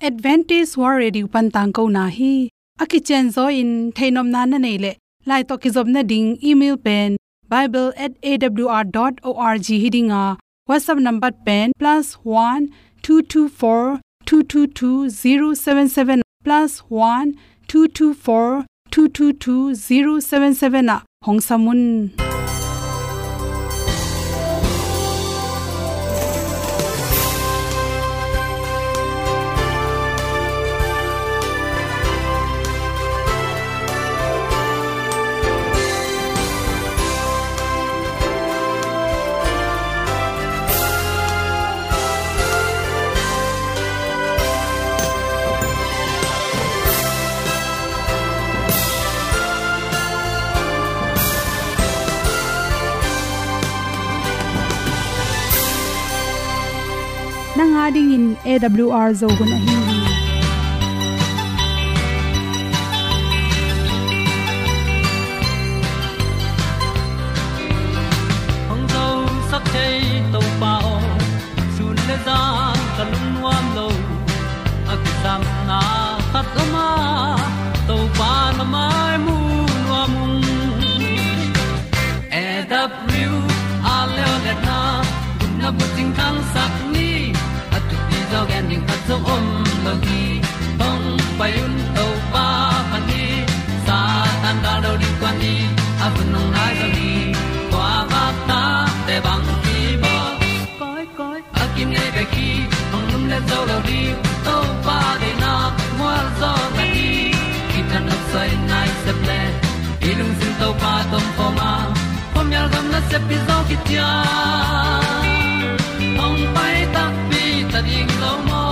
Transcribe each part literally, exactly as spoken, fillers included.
Adventist World Radio pan tangkona hi. A kicianzaw in theihnopna na neih leh, lai tawh kizopna ding email pen bible at A W R dot org hi ding a, WhatsApp number pen plus one two two four two two two zero seven seven, plus one two two four two two two zero seven seven ah hong sam un. Nang a dingin A W R Zo hun ahi hi. Hong zosak thei Topa aw, sun le zan ka lungnuam lo. A kisapna khat om a, Topa na mai mu nuam ung. A W R Leo Letna, gupna bucing thangsak ni, a thupi zaw gen ding khat zong om lo hi. Hong pai un Topa phat ni, Satan gal do ding kuan ni, a hun hong nai zaw hi. Kua vak ta te bang hi bawl. Koi, koi, a kinei bek hi, hong lum le zo lo ding, Topa deihna mual zaw na hi. Kithat nop soi nai sep le, i lungsim Topa tawh om khawm a, khuamial gam nasep pi zaw khit ciang, hong pai takpi ta ding lo maw.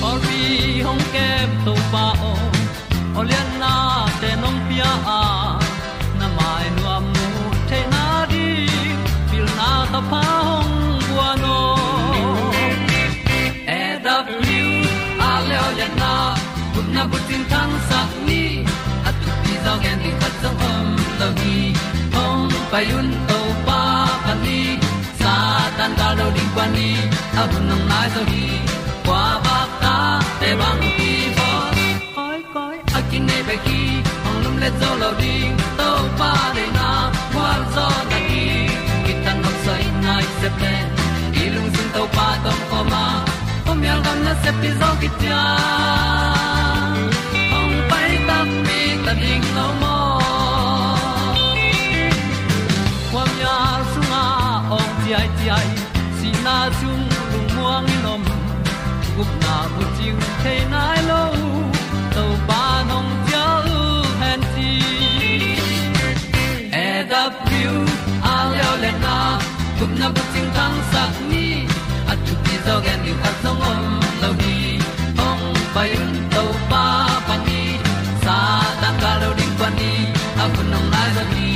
Pawlpi hong kem Topa aw, aw lianna te nong pia a, na mai nuam mu theihna ding, pilna thapha hong guan aw. A W R Leo Letna, gupna bucing thangsak ni, a thupi zaw gen ding khat zong om lo hi. Hong pai un Topa phat ni, Satan gal do ding kuan ni, a hun hong nai zaw hi. Kua vak ta te bang hi bawl. Koi, koi, a kinei bek hi, hong lum le zo lo ding, Topa deihna mual zaw na hi. Kithat nop soi nai sep le, i lungsim Topa tawh om khawm a, khuamial gam nasep pi zaw khit ciang, hong pai takpi ta ding lo maw. Khuamial sungah awng ciaiciai, sihna sung lungmuang in om, gupna bucing thei nai lo, Topa nong cial hen ci. A W R Leo Letna, gupna bucing thangsak ni, a thupi zaw gen ding khat zong om lo hi. Hong pai un Topa phat ni, Satan gal do ding kuan ni, a hun hong nai zaw hi.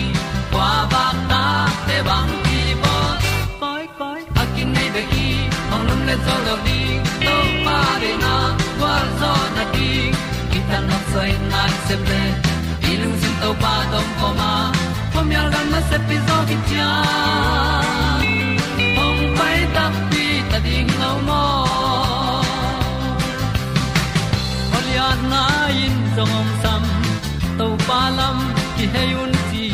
Kua vak ta te bang hi bawl. Koi, koi, a kinei bek hi, hong lum le zo lo ding, Topa deihna gual zaw na ding. Kithat nop soi nai sep le, i lungsim Topa tawh om khawm a, khuamial gam nasep pi zaw khit ciang, hong pai takpi ta ding lo maw. Aw lianna in zong hong sam, Topa lam kihei un ci.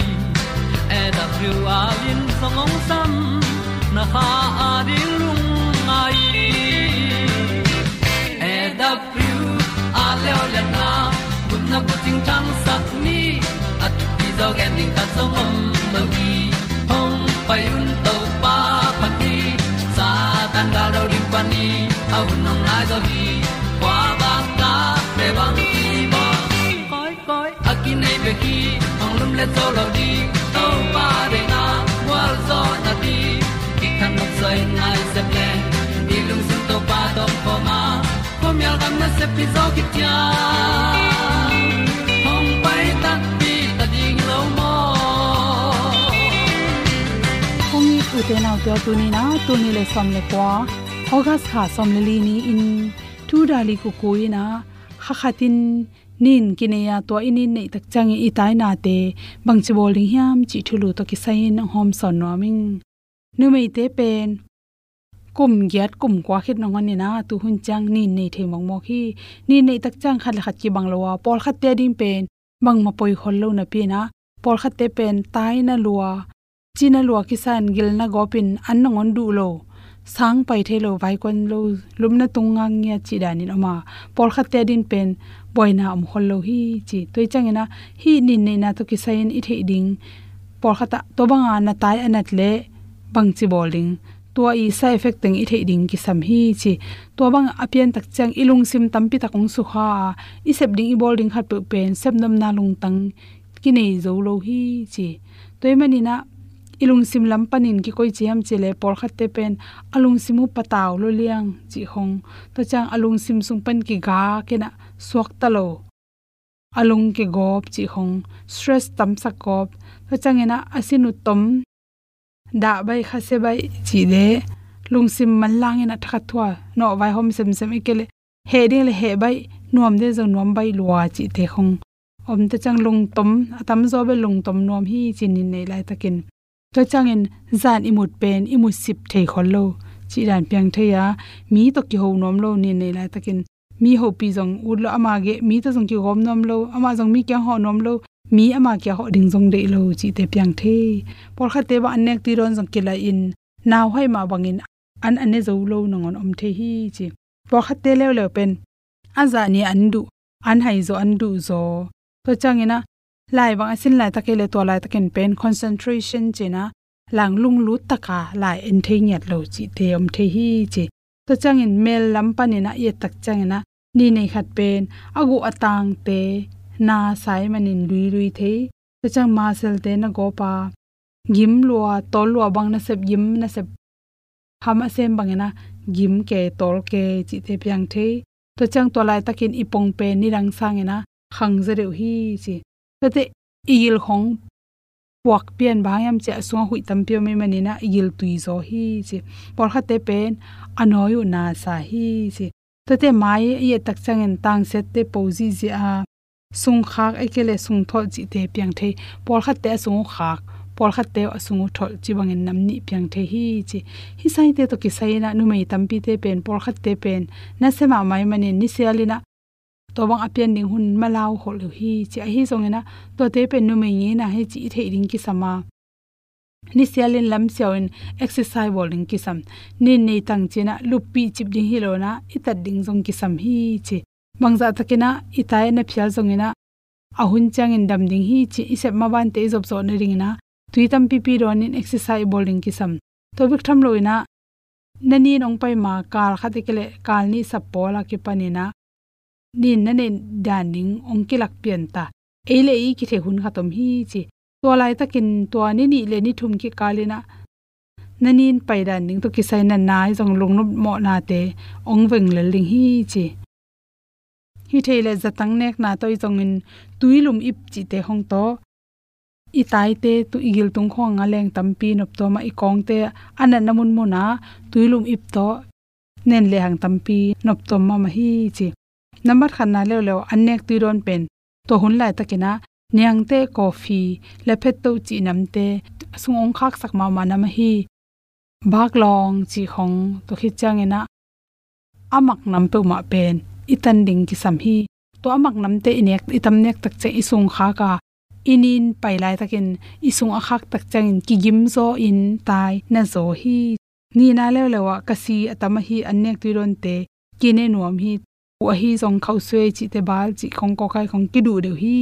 A W R in zong hong sam, na kha a ding lungngai. A W R Leo Letna, gupna bucing thangsak ni, a thupi zaw gen ding khat zong om lo hi. Hong pai un Topa phat ni, Satan gal do ding kuan ni, a hun hong nai zaw hi. Kua vak ta te bang hi bawl. Koi, koi, a kinei bek hi, hong lum le zo lo ding, Topa deihna gual zaw na ding. Kithat nop soi nai sep le, i lungsim Topa tawh om khawm a, khuamial gam nasep pi zaw khit ciang, hong pai takpi ta ding lo maw. Kong it ute naute aw, tuni in ah, tul nih le sawm le kua, August kha sawm le li ni-in, tu Dali Kuku in ah, kha khat in nin kinei a, tua i nin neih tak ciangin i tainate bangci bawl ding hiam cih thulu tawh kisai-in hong hawmsawn nuam ing. Numeite pen kum giat kum kua khit nangawn in ah tu hun ciang nin nei thei mawkmawk hi. Nin neih tak ciang khat le khat kibang lo a, pawlkhatte ading pen bangmah poi khol lo napi in ah, pawlkhatte pen tai na lua, ci na lua kisa in gil na gawp in an nangawn duh lo, sang pai thei lo, vaikuan lo, lupna tung ngak ngiat cih dan in om a, pawlkhatte ading pen buaina om khol lo hi ci. Tua hi ciangin ah hih nin neihna tawh kisai in i theih ding, pawlkhat ah tua bang a na tai a nat leh bangci bawl ding, tua i side effect teng i theih ding kisam hi ci. Tua bang a pian tak ciang i lungsim tampi tak hong sukha a, i sep ding i bawl ding khatpeuh pen sepnopna lungtang kinei zo lo hi ci. Tua ahih manin ah i lungsim lam panin kikoih ci hiam cih leh pawlkhatte pen a lungsim uh patau lua liang cih khong, tua ciang a lungsim sung pan kigak in ah suakta lo, a lung kigawp cih khong, stress tamsak gawp, tua ciangin ah a sin uh tom, dah baih, khasia baih cih leh lungsim manlang in ah thakhat thua nawh, vaihawm semsem, ahih kei leh heh ding leh heh baih, nuam ding zong nuam baih lua cihte khong om, tua ciang lungtom, a tamzaw bel lungtom nuam hi ci nin neih laitakin. Tua ciangin zan i mut pen i mut sip thei khol lo cih dan piang thei a, mi tawh kiho nuam lo nin neih laitakin. Mi hopih zong ut lo, ama geh mi tawh zong kigawm nuam lo, amah zong mi kiang hawh nuam lo, mi ama kiang hawh ding zong deih lo cihte piang thei. Pawlkhatte bang an nek tui dawn zong kilaih in, nauhaih mah bangin an a ne zo lo nangawn om thei hi ci. Pawlkhatte leuleu pen a zah ni an duh, an haizaw, an duhzaw. Tua ciangin ah lai bang a sin laitak hi leh tua laitakin pen concentration ci-in ah lang lunglut taka lai en thei ngiat lo cihte om thei hi ci. Tua ciangin mel lam panin ah i et tak ciangin ah nin nei khat pen a guh a tangte na sa ahih manin luilui thei. Tua ciang muscle-te na gawp a, gim lua, tawl lua bang nasep, gim nasep, ham a sem bangin ah gim kei, tawl kei cihte piang thei. Tua ciang tua laitakin i pong pen nidang sangin ah khang zaw deuh hi ci. Tuate i gil khong puak pian, bang hang hiam cih leh a sungah huih tampi om ahih manin ah i gil tui zaw hi ci. Pawlkhatte pen a nawi uh na sa hi ci. Tuate mai i et tak ciangin tangsiatte po zihziah a, sungkhak ahih kei leh sungtholh cihte piang thei. Pawlkhatte a sung uh khak, pawlkhatte a sung uh tholh cih bangin nam nih piang thei hi ci. Hih saite tawh kisai in ah numei tampite pen, pawlkhatte pen nasia mahmah ahih manin nisial in ah tua bang a pian ding hun malau khol lo hi ci. Ahi zongin ah tuate pen numei ngeina hi cih i theih ding kisam a, nisial in lamsiau in exercise bawl ding kisam. Nin nei tang ci-in ah luppih cip ding hi lo in ah i tat ding zong kisam hi ci. Bangzah takin ah i tai na phial zongin ah a hun ciangin dam ding hi cih i sep mabante i zop zawh nadingin ah tui tampipi dawn in exercise i bawl ding kisam. Tua bek tham lo in ah na nin hong pai ma kal khat ahih kei leh kal nih sap pawl a kipanin ah nin na neih dan ding hong kilak pian ta. Ei le ei i kithei hun khat om hi ci. Tua laitakin tua ni nih le ni thum kikal in ah na nin pai dan ding tawh kisai natna ahi zong lungnop mawhnate hong veng lel ding hi ci. Hi thei leh zatang nekna tawh ahi zongin tuilum ip cihte khong tawh i taite, tu i gil tung khawng a leng tampi noptuam a, i kawngte a natna munmun ah tuilum ip tawh nen lehang tampi noptuam mahmah hi ci. Nambat khatna leuleu an nek tui dawn pen tua hun laitakin ah niangteh, coffee le phetto cih namte a sung hong khaksak mahmah nam ahi baklawng cih khong, tua khit ciangin ah a mak nam peuhmah pen i tan ding kisam hi. Tua a mak namte i nek, i tam nek tak ciang i sung khak a, i nin pai laitakin i sung a khak tak ciangin kigim zaw in tai na zaw hi. Nihna leuleu ah kasi a tam ahi an nek tui dawnte kine nuam hi. Hu ahi zong khauhsuai cihte, bal cih khong, kawkai khong kiduh deuh hi.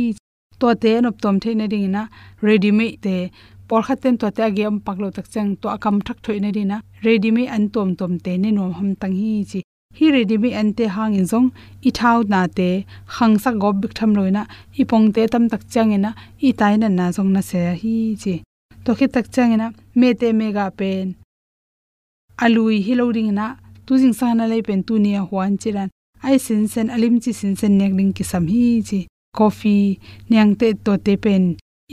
Tuate a noptuam theih nadingin ah ready made te, pawlkhatte in tuate a gei om pak loh tak ciang tua a kam thak thoih nadingin ah ready made an tuamtuamte ne nuam hamtang hi ci. Hih ready made ante hangin zong i thaunate khangsak gawp bek tham lo in ah i pongte a tam tak ciangin ah i tai natna zong nasia hi ci. Tua khit tak ciangin ah mehteh mehgah pen a lui hi lo dingin ah tu zingsang a na lei pen tuni a huan cih dan, a i sinsen, a limci sinsen nek ding kisam hi ci. Coffee, niangteh, tuate pen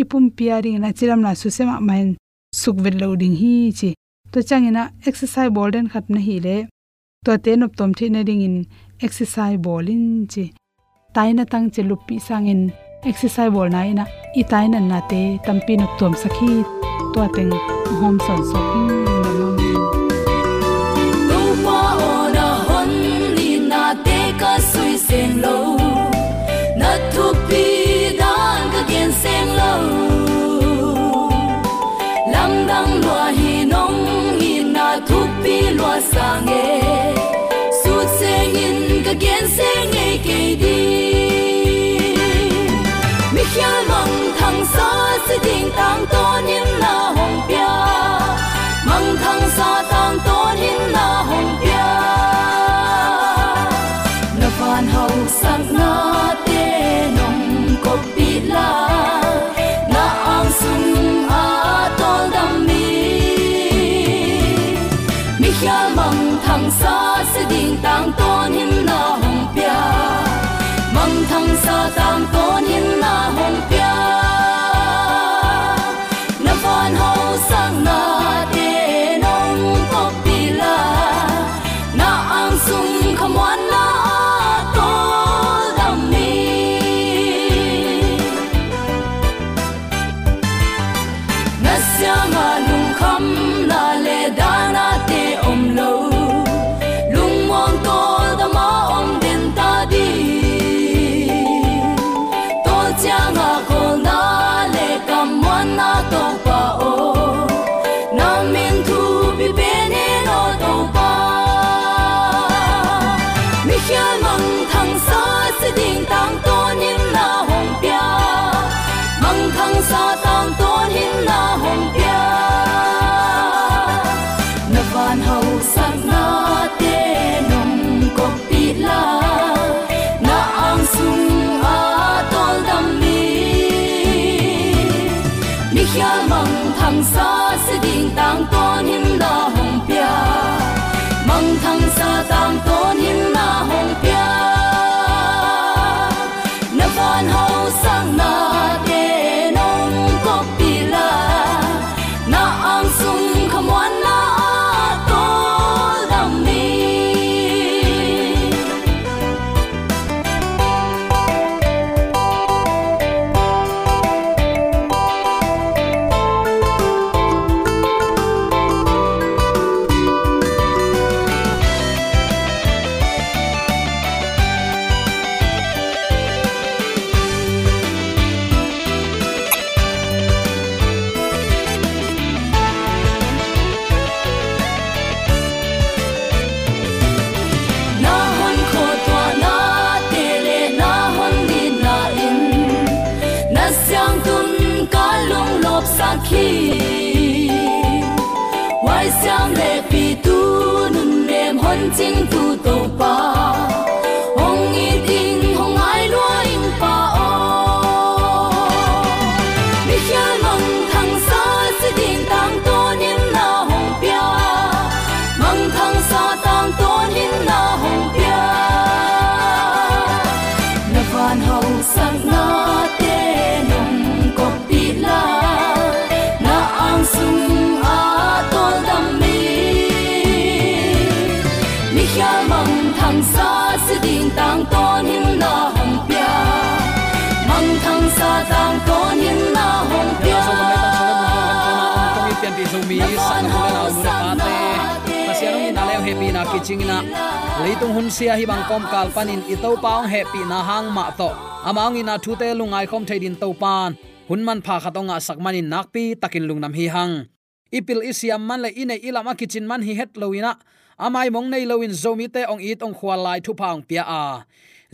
i pumpi a dingin ah cidamna susia mahmah in suk vet loh ding hi ci. Tua ciangin ah exercise bawl den khat na hih leh tuate noptuam theih nadingin exercise bawl in ci. Tai natang ci, luppih sangin exercise bawlna in ah i tai natnate tampi noptuamsak hi. Tua teng hong hawm sawnsak hi. Gen se ngei kei ding. Mikhial mangthangsa si ding tangtawn in na hong pia. Mangthangsa tangtawn in na hong pia. Na van hausaknate nong koppih la, na ang sung a tawldam mi. Mikhial mangthangsa si ding tangtawn in na hong pia. Mangthangsa tangtawn in na hong pia. Na van hausaknate nong koppih la, na ang sung khamuanna a tawldam mi. Na siangah lungkhamna le dahnate om lo, lungmuang tawldam a om den ta ding. Tawl ciangah kawlna le kammuanna Topa aw, na min thupi pen in aw Topa. Mikhial mangthangsa si ding tangtawn in na hong pia. Mangthangsa tangtawn in na hong pia. Na van hausaknate nong koppih la, na ang sung a tawldam mi. Mikhial mangthangsa si ding tangtawn in na hong pia. Mangthangsa tangtawn in na hong pia. Na van hausaknate nong koppih la, na ang sung khamuanna a tawldam mi. Na hon khuatuahnate le na hon nitna in na siangtun ka lunglawpsak hi. Huaisiam le pitu nunnem hon cingtu Topa, hong it ing hong ngai lua ing Pa aw. Mikhial mangthangsa si ding tangtawn in na hong pia. Mangthangsa tangtawn in na hong pia. Na van hausaknate nong koppih la, na ang sung a tawldam mi. Mikhial mangthangsa si ding tangtawn in na hong pia. Mangthangsa tangtawn in na hong pia. Pianpih Zomi sang a pu le nau, nu le pate, Pasian hong itna le hong hehpihna kicingin ah leitung hunsia hih bang kawmkal panin i Topa hong hehpihna hang mah tawh ama hong itna thute lungngai khawm thei din Topan hun manpha khat hong ngahsak manin nakpi takin lungdam hi hang. I pil i siam man le i neih i lam a kicin man hi het loin ah, a maimong nei loin Zomite hong it hong khual lai thupha hong pia a,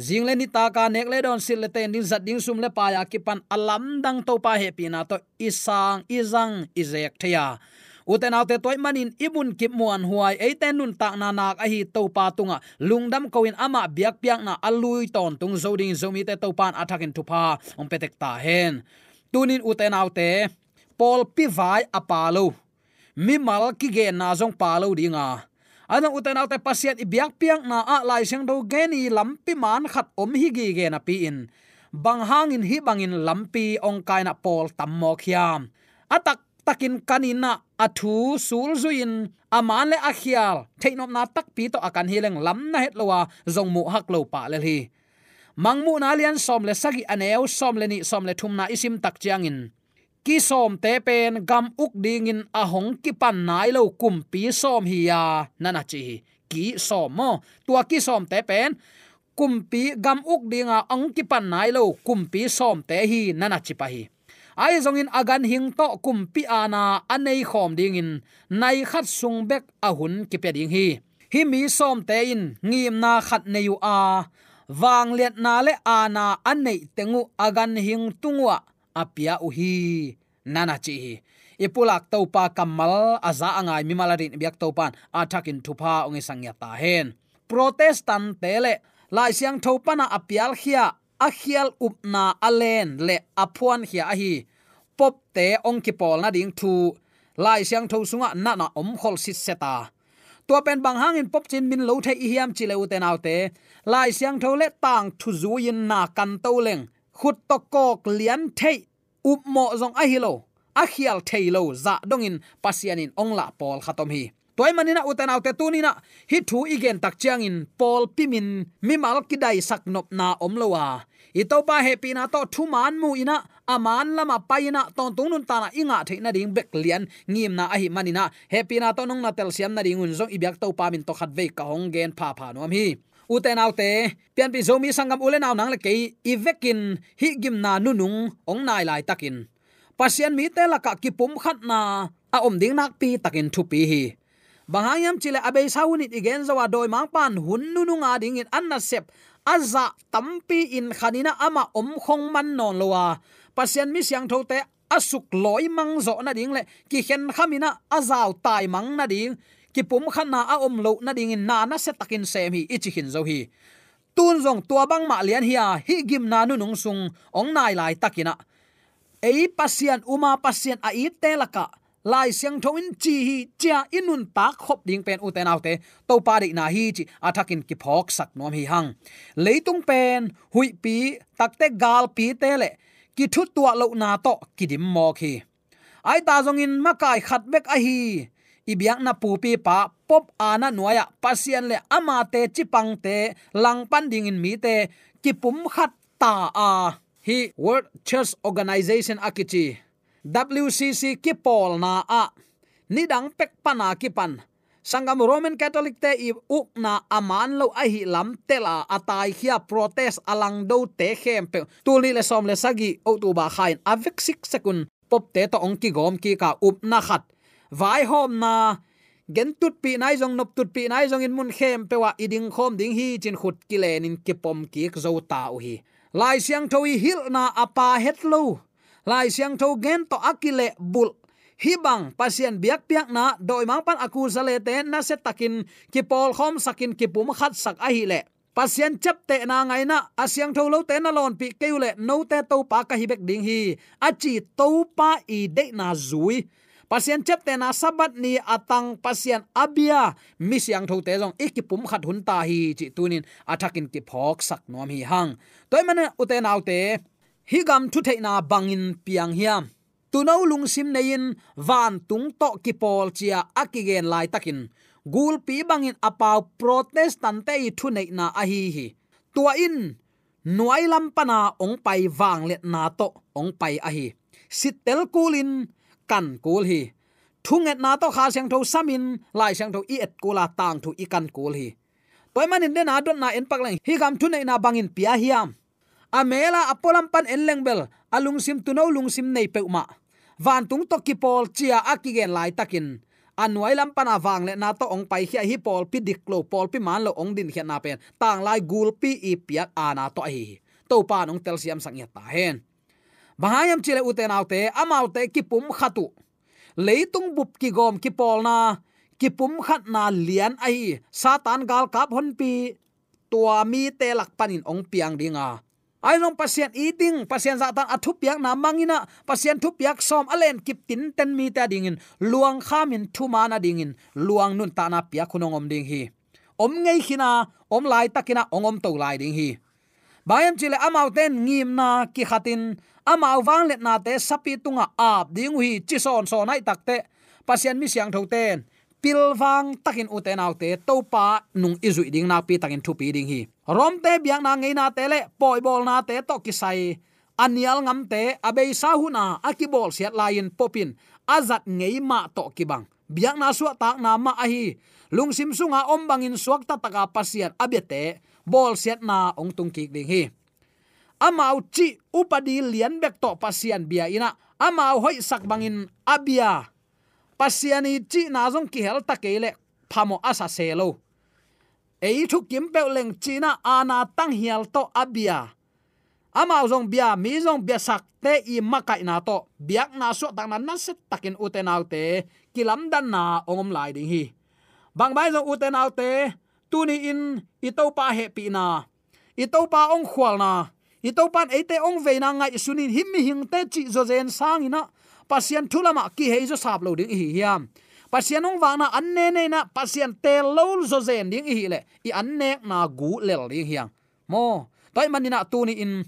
zing le nitak a nek le dawn, silh le ten ding, zat ding sum le pai a kipan a lamdang Topa hehpihna tawh i sang i zang i zek thei a, ute naute, tua ahih manin i munkip muanhuai, eite nuntakna nak ahi Topa tungah lungdam ko-in amah biakpiakna a lui tawntung zo dingin Zomite Topan a thakin thupha hong pia tek ta hen. Tunin ute naute, pawlpi vai a pha lo, mimal kigenna zong pha lo ding a, a zong ute naute, Pasian i biakpiakna ah Lai Siangtho gen i lampi man khat om hi gige napi-in, bang hangin hih bangin lampi hong kaina pawl tam mawk hiam? A taktakin kanin ah a thu sulzui-in a man le a khial theihnopna takpi tawh a kan hi leng lam na het lo a zong muhhak lo pah lel hi. Mangmuhna lian sawm le sagih, a neu sawm le nih, sawm le thumna i sim tak ciangin, kisawmte pen gam uk dingin a hong kipan nai lo kumpi sawm hi-a, na na ci hi. Kisawm maw? Tua kisawmte pen kumpi gam uk dinga hong kipan nai lo kumpi sawmte hi, na na ci pah hi. Ahi zongin a ganhing tawh kumpi aana a nei khawm dingin nai khat sung bek a hun kipia ding hi. Hih mi sawmte in ngimna khat nei uh a, vangliatna le aana a neih teng uh a ganhing tung uhah a pia uh hi, na na ci hi. I pulak Topa kammal a za a ngai mimal a din i biak Topa in a thakin thupha hong hisak ngiat ta hen. Protestant-te le Lai Siangtho pana a pialkhia, a khial upna a len le a phuankhia ahi Pope-te hong kipawl nading thu Lai Siangtho sungah na na om khol sitset a. Tua pen bang hangin Pope ci-in min lo thei i hiam cih leh, ute naute, Lai Siangtho le tangthu zui-in na kan to leng, khut tawh kawk lian theih, upmawh zong ahi lo, a khial thei lo zah dongin Pasian in hong lah pawlkhat om hi. Tua ahih manin ah, ute naute, tuni-in ah hih thu i gen tak ciangin pawlpi min mimal kidaisak nopna om lo a, i Topa hehpihna tawh thuman mu-in ah, a man lamah pai-in ah, tawntung nuntakna i ngah theih nading bek lian ngimna ahih manin ah, hehpihna tawh nong na telsiam nadingun zong i biak Topa min tawh khatvei ka hong gen phapha nuam hi. Ute naute, Pianpih Zomi sanggam u le nau, nang le kei i vekin hih gimna nunung hong nai laitakin, Pasian mite lakah kipumkhatna a om ding nakpi takin thupi hi. Bang hang hiam cih leh, a beisa hun in i gen zo a, dawimangpa'n hun nunung adingin a nasep a zah tampi-in khanin ah amah om khong man nawn lo a, Pasian mi siangthote a suk lawimang zawh nading le kikhenkham-in ah a zau taimang nading, kipumkhatna a om loh nadingin na nasia takin sem hi, i ci khin zo hi. Tun zong tua bangmah lian hi a, hih gimna nunung sung hong nai laitakin ah, ei Pasian um a, Pasian a itte lakah Lai Siangtho in ci hi, ci-a i nuntak khop ding pen, ute naute, Topa deihna hi cih a thakin kiphawksak nuam hi hang. Leitung pen huihpi takte, galpite le kithutuah lohna tawh kidim mawk hi. Ahi ta zongin makai khat bek ahi i biakna pupipa Pope aana nuai-ah Pasian le amate cipangte langpan dingin mite kipumkhat ta a, hih World Church Organization a kici W C C kipawlna ah nidang pek pana kipan sanggam Roman Catholic-te i ukna a man lo ahih lam tel a, a taikhia, protest a langdote khempeuh, tul nih le sawm le sagih October kha-in a vek siksek un Pope-te tawh hong kigawm kik a, upna khat, vaihawmna, gen tutpihna ahi zong, nop tutpihna ahi zongin, mun khempeuh ah i dingkhawm ding hi ci-in khut kilenin kipom kik zo ta uh hi. Lai Siangtho i hilhna a pha het lo, Lai Siangtho gen tawh a kilehbulh, hih bang Pasian biakpiakna, dawimangpa'n a kusa lete nasia takin kipawlkhawmsakin kipumkhatsak ahih leh, Pasian ciaptehna ngaihna, a siangtho lote na lawnpih kei uh leh, note Topa ka hi bek ding hi, a ci Topa i deihna zui, Pasian ciaptehna Sabbath ni a tang, Pasian a bia mi siangthote zong i kipumkhat hun ta hi cih tuni-in a thakin kiphawksak nuam hi hang. Tua ahih manin, ute naute, hih gam thutheihna bangin piang hiam? Tuuno lungsim nei-in vantung tawh kipawl ci-a a kigen laitakin, gulpi bangin a pau Protestant-te i thuneihna ahi hi. Tua in nuailam pana hong pai, vangliatna tawh hong pai ahi. Sittel kulin kan kul hi. Thungetna tawh Kha Siangtho samin Lai Siangtho i et kul a, tangthu i kan kul hi. Tua ahih manin, dena dotna en pak leng, hih gam thuneihna bangin pia hiam? A mel a, a pualam pan en leng bel, a lungsim, tuuno lungsim nei peuhmah, vantung tawh kipawl ci-a a kigen laitakin, a nuailam pana vangliatna tawh hong paikhia, hih pawlpi dik lo, pawlpi man lo hong dinkhiatna pen tanglai gulpi i piak aana tawh ahi hi. Topa in hong telsiamsak ngiat ta hen. Bang hang hiam cih leh, ute naute, amaute kipumkhat uh, leitung bup kigawm kipawlna, kipumkhatna lian ahi Satan galkap honpi, tua mite lak panin hong piang ding a, ahi zong Pasian it ding, Pasian zahtan a thupiakna mang-in ah, Pasian thupiak sawm a lenkip tinten mite adingin luang khamin, thuman adingin luang, nuntakna piak hun hong om ding hi. Om ngei khin a, om laitakin ah hong om to lai ding hi. Bang hiam cih leh, amaute in ngimna kikhatin amau vangliatnate sapi tungah ap ding uh hi, ci sawnsawn ahih takteh, Pasian mi siangthote in pilvang takin, ute naute, Topa nung i zuih ding nakpi takin thupi ding hi. Rom-te biakna ngeinate le pawibawlnate tawh kisai a nial ngamte a beisa hun a a kibawlsiat lai-in, Pope in a zat ngei mah tawh kibang, biakna suahtakna mah ahi, lungsim sunga om bangin suakta taka Pasian a biate bawlsiatna hong tungkik ding hi. Amau cih upadi lian bek tawh Pasian bia-in ah, amau hoihsak bangin a bia, Pasian i cihna zong kihel ta kei leh phamawh a sa se lo. ei thukim peuh leng cinah aana tanghial tawh a bia, amau zong bia, mi zong biasakte i makaihna tawh biakna suahtakna nasiatakin ute naute kilamdanna hong om lai ding hi. Bangbang zong ute naute, tuni-in i Topa hehpihna, i Topa hong khualna, i Topa in eite hong veina ngaihsunin hih mihingte cih zawzen sanginah Pasian thu lamah kihei zawsap lo ding i hi hiam? Pasian hong vakna an nene inah Pasian teel lo zawzen ding i hih leh i an nekna gu lel ding hiang. Maw, tua ahih maninah tuni-in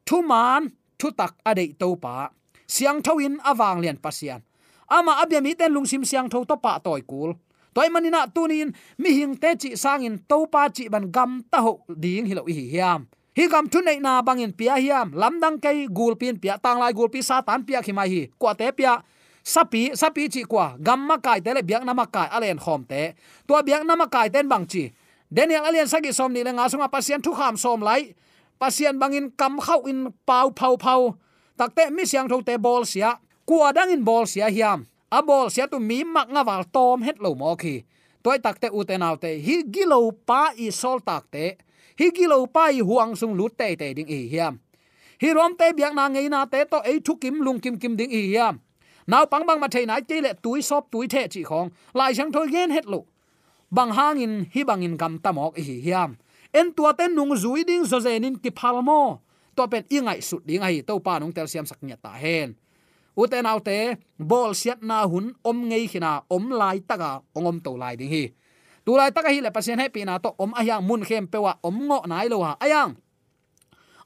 thuman thutak a deih Topa, siangtho in a vanglian Pasian, amah a bia mite in lungsim siangtho tawh pahtawi kul. Tua ahih maninah tuni-in mihingte cih sangin Topa cih bang gamta hoh ding hi lo i hi hiam? Hih gam thuneihna bangin pia hiam? Lamdang kei, gulpi in pia, tanglai gulpi Satan piak hi mai hi. Kuate pia? Sapi, sapi cih kua? Gam makaite le biakna makai a lenkhawmte. Tua biakna makaite in bang ci? Daniel a lian sagih sawm nih le nga sungah Pasian thukham sawm lai, Pasian bangin kamkhauh in pau phauphau. Takte mi siangthote bawlsia, kua dangin bawlsia hiam? A bawlsia tu mi mak ngaval tawm het lo mawk hi. Tua i takte ute naute, hih gilopa i sawltakte, hih gilopa i huang sung lut teitei ding i hi hiam? Hih ruamte biakna ngeinate tawh ei thukim lungkimkim ding i hi hiam? Naupang bangmah thei nai kei leh tui sawp tui theh cih khawng Lai Siangtho i gen het loh. Bang hangin hih bangin gamta mawk i hi hiam? En tuate nungzui ding zawzenin kiphal maw? Tua pen i ngaihsut ding ahi, Topa nung telsiamsak ngiat ta hen. Ute naute, bawlsiatna hun om ngei khina, om laitaka hong om to lai ding hi. Tu laitak ahileh Pasian hehpihna tawh om ahiang mun khempeuh ah om ngawh nai lo ha. Ahiang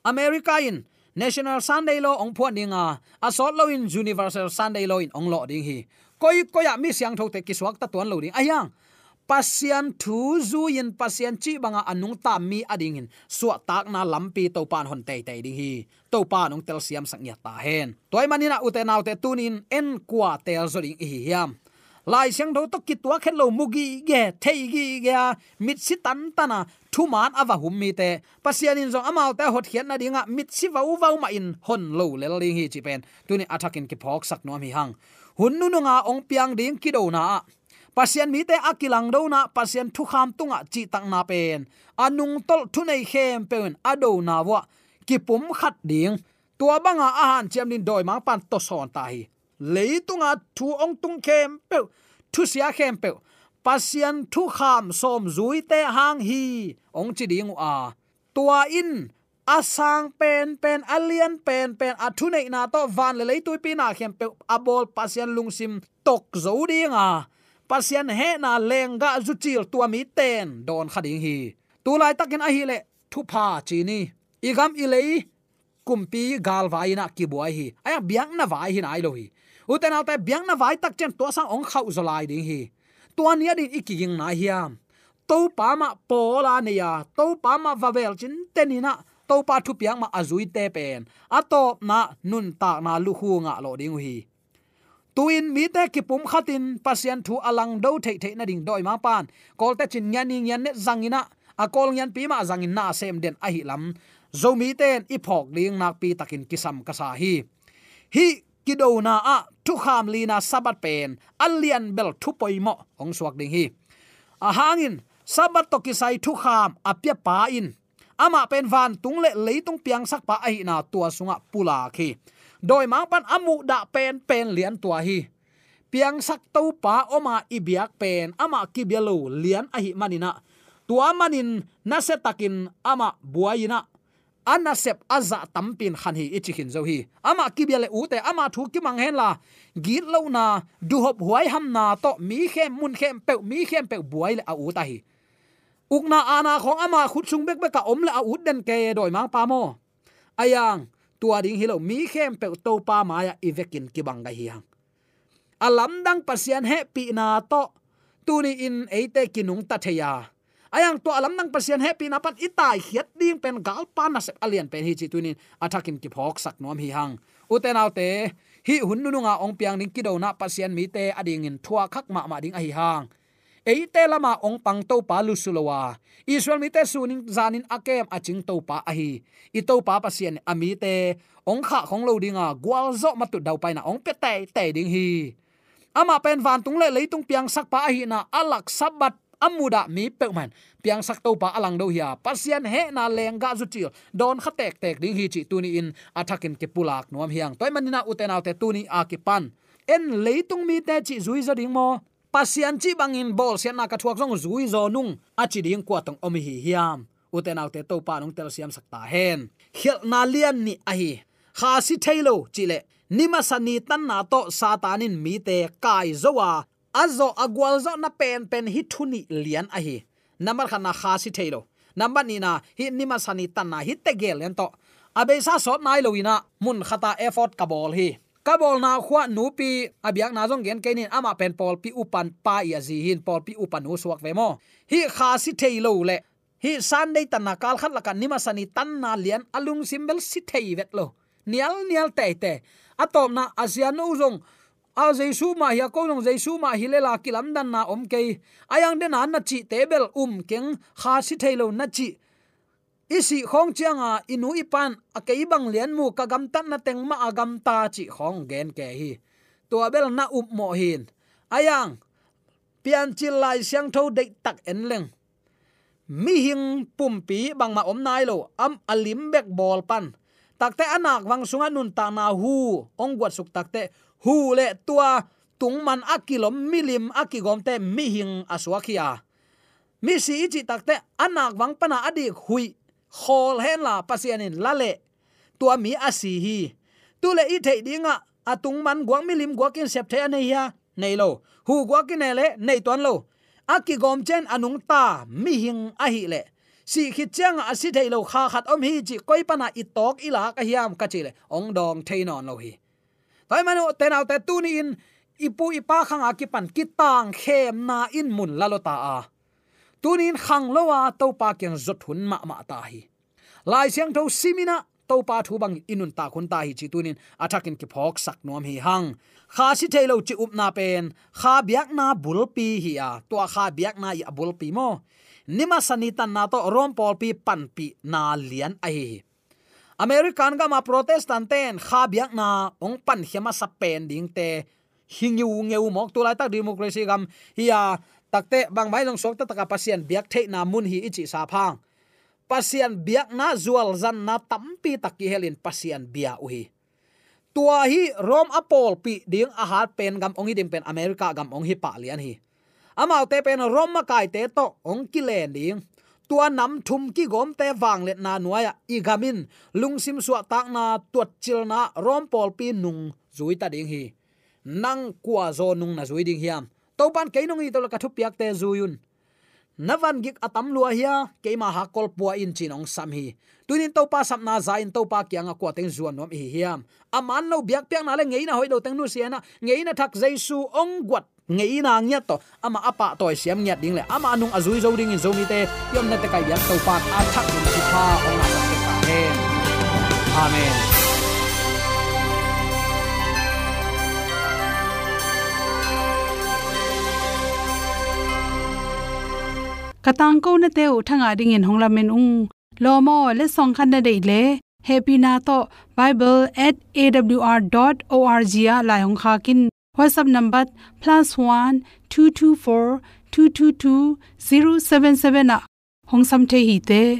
America in National Sunday Law hong phuan dinga, a sawt loin Universal Sunday Law in hong lawh ding hi. Koikoi ah mi siangthote kisuakta tuan lo ding ahiang, Pasian thu zui-in Pasian cih banga a nungta mi a dingin suahtakna lampi Topa in hon teitei ding hi. Topa nung telsiamsak ngiat ta hen. Tua ahih maninah ute naute, tunin en kua teel zaw ding i hi hiam? Lai Siangtho tawh kituak het lo, mu gige, thei gige a, mitsi tantana thuman a va hum mite, Pasian in zong amaute a hotkhiat nadingah mitsi vauvau mahin hon lo lel ding hi cih pen tunin a thakin kiphawksak nuam hi hang. Hun nununga hong piang ding kidona ah Pasian mite a kilangdona, Pasian thukham tungah cihtakna pen a nungtolh thunei khempeuh in a dona vuah kipumkhat ding, tua banga a hanciam ding dawimangpa'n tawsawn ta hi. Leitunga thu hong tung khempeuh, thusia khempeuh Pasian thukham sawm zuite hang hi hong ci ding uh a, tua in a sang penpen, a lian penpen, a thuneihna tawh van le leituipi na khempeuh a bawl Pasian lungsim tok zo dinga, Pasian hehna lenggah zucil tua mite'n dawn kha ding hi. Tu laitakin ahileh thupha ci ni. I gam i lei kumpi galvai inah kibuai hi. Ahiang biakna vai hi nai lo hi. Ute naute, biakna vai tak ciang tua sang hong khauh zaw lai ding hi. Tua ni a ding i kiging nai hiam? Topa mah pawl a nei a, Topa mah va vel cinten inah, Topa thupiak mah a zuite pen a tawpna nuntakna lukhu ngah lawh ding uh hi. Tu-in mite kipumkhatin Pasian thu a langdo theihtheih nading dawimangpa'n Kawlte cin ngian ni ngian net zanginah, a Kawl ngianpi mah zangin na sem den ahi lam Zomite'n i phawk ding nakpitakin kisam ka sa hi. Hih kidona ah thukham lina Sabbath pen a lianbel thu poimawh hong suak ding hi. A hangin Sabbath tawh kisai thukham a piapa in amah pen vantung le leitung piangsakpa ahihna tua sungah pulak hi. Dawimangpa'n a muhdah penpen lian tua hi. Piangsak Topa om a i biak pen amah kibia lo lian ahih maninah, tua manin nasiatakin amah buai inah, a nasep a zah tampi in khan hi i ci khin zo hi. Amah kibia le ute, ama thu kimang henla, gitlohna, duhop huaihamna tawh mi khem, mun khempeuh, mi khempeuh buai le a ut ahi. Ukna aana khawng ama khut sung bekbek a om le a ut den kei e dawimangpa maw? Ahiang tua ding hi lo, mi khempeuh Topa mai-ah i vekin kibang gai hi hang. A lamdang Pasian hehpihna tawh tuni-in eite kinungta thei a, ahiang tua a lamdang Pasian hehpihna pan i taikhiat ding pen galpa nasep a lian pen hi cih tunin a thakin kiphawksak nuam hi hang. Ute naute, hih hun nununga hong piang ding kidona Pasian mite a dingin thuak khak mahmah ding ahi hang. Eite lama hong pang Topa lusu lo a, Israel mite sunin zanin a kem a cing Topa ahi i Topa Pasian in a mite hong khahkhong lo dinga gualzawh matut daupaina hong pia teitei ding hi. Amah pen vantung le leitung piangsakpa ahihna a lak Sabbath a mudah mi peuhmah in piangsak Topa a langdo hi a, Pasian hehna lenggah zucil dawn kha tektek ding hi cih tuni-in a thakin kipulak nuam hi hang. Tua ahih manin ah ute naute, tuni a kipan en leitung mite cih zuizaw ding maw, Pasian cih bangin bawlsiatna ka thuak zong zuizaw nung a ci ding kua tawh om i hi hiam? Ute naute, Topa in hong telsiamsak ta hen. Khialhna lian nih ahi. Kha si thei lo cih leh ni masa ni tanna tawh Satan in mite kai zo a, a zawh a gualzawhna penpen hih thu nih lian ahi. Nambat khatna, kha si thei lo. Nambat nihna, hih ni masa ni tanna hih tegel lian tawh a beisa sawt nai lo-in ah mun khata effort ka bawl hi. Ka bawlna khua nupi a biakna zong gen kei ning, amah pen pawlpi upa pa i a zi hi in, pawlpi upa nu suak ve maw. Hih kha si thei lo leh hih Sunday tanna kal khat lakah ni masa ni tanna lian a lungsim bel si thei vet lo. Nialnial teitei. A tawpna, a sianu zong a Jesu mah hi a, ko zong Jesu mah hi lel a, kilamdanna om kei. A yang dena na cihte bel um keng, kha si thei lo na cih. I sih khawng cianga i nu i pan a kei bang lian mu, ka gamtatna teng mah a gamta cih khawng gen kei hi. Tua bel na upmawh hi in. A yang Piancil Lai Siangtho deihtak en leng, mihing pumpi bangmah om nai lo, am a lim bek bawl pan. Takteh a nakvang sungah nuntakna hu hong guatsuk takteh, hu le tua tungman a kilom milim a kigawmte mihing a suak hi a, misi i cih takteh a nakvang pana a dik huih khawl henla Pasian in la leh tua mi a si hi. Tu le i theih dingah a tungman guak milim guak in sep thei a nei hia? Nei lo. Hu guak in ne le nei tuan lo. A kigawm ciang a nungta mihing ahih leh, sih khit ciangah a si thei lo kha khat om hi cih koi pana i tawk i lak a hiam ka cih leh hong dawng thei nawn lo hi. Tua ahih manin ute naute, tuni-in i pu i pa khanga kipan kitangkhemna in mun la lo ta a, tuni-in khang lo a Topa kiang zot hun mahmah ta hi. Lai Siangtho simin ah Topa thu bangin i nuntak hun ta hi cih tuni-in a thakin kiphawksak nuam hi hang. Kha si thei lo cih upna pen kha biakna bulpi hi a, tua kha biakna i a bulpi maw, ni masa ni tanna tawh Rom pawlpi panpihna lian ahi hi. American gama Protestant ten kha biakna hong pankhia masa pen dingte hi ngiungeu mawk. Tulaitak democracy gam hi a, takteh bangmah hi zong suakta taka Pasian biak theihna mun hi i cih sap hang, Pasian biakna zualzanna tampi tak kihelin Pasian bia uh hi. Tua hi Rom a pawlpih ding a hat pen gam hong hi ding pen America gam hong hi pah lian hi. Amaute pen Rom makaite tawh hong kilen ding. Tua nam thum kigawmte vangliatna nuai-ah i gam in lungsim suahtakna, tuatcilna, Rom pawlpi nung zui ta ding hi. Nang kua zaw nung na zui ding hiam? Topan kei nong it uh leh ka thupiakte zui un. Na van gik a tam lua hia, keima hakkol pua in ci-in hong sam hi. Tuni-in Topa sapna za-in Topa kiangah kua teng zuan nuam i hi hiam? A man lo biakpiakna le ngeina hoih lo teng nusia in ah, ngeina thak Jesu hong guat ngeina ngiat tawh amah a pahtawi siam ngiat ding le amah nung a zui zo dingin Zomite i omna tekah i biak Topa a thak in thupha hong ngahsak ta hen. Amen. Ka tangkonate uh thangah dingin hong lamen ung. Lawm aw, letsong khat na deih leh hehpihna tawh bible at A W R dot O R G ah lai hong khak in. WhatsApp number plus one two two four two two two zero seven seven ah hong sam thei hi te.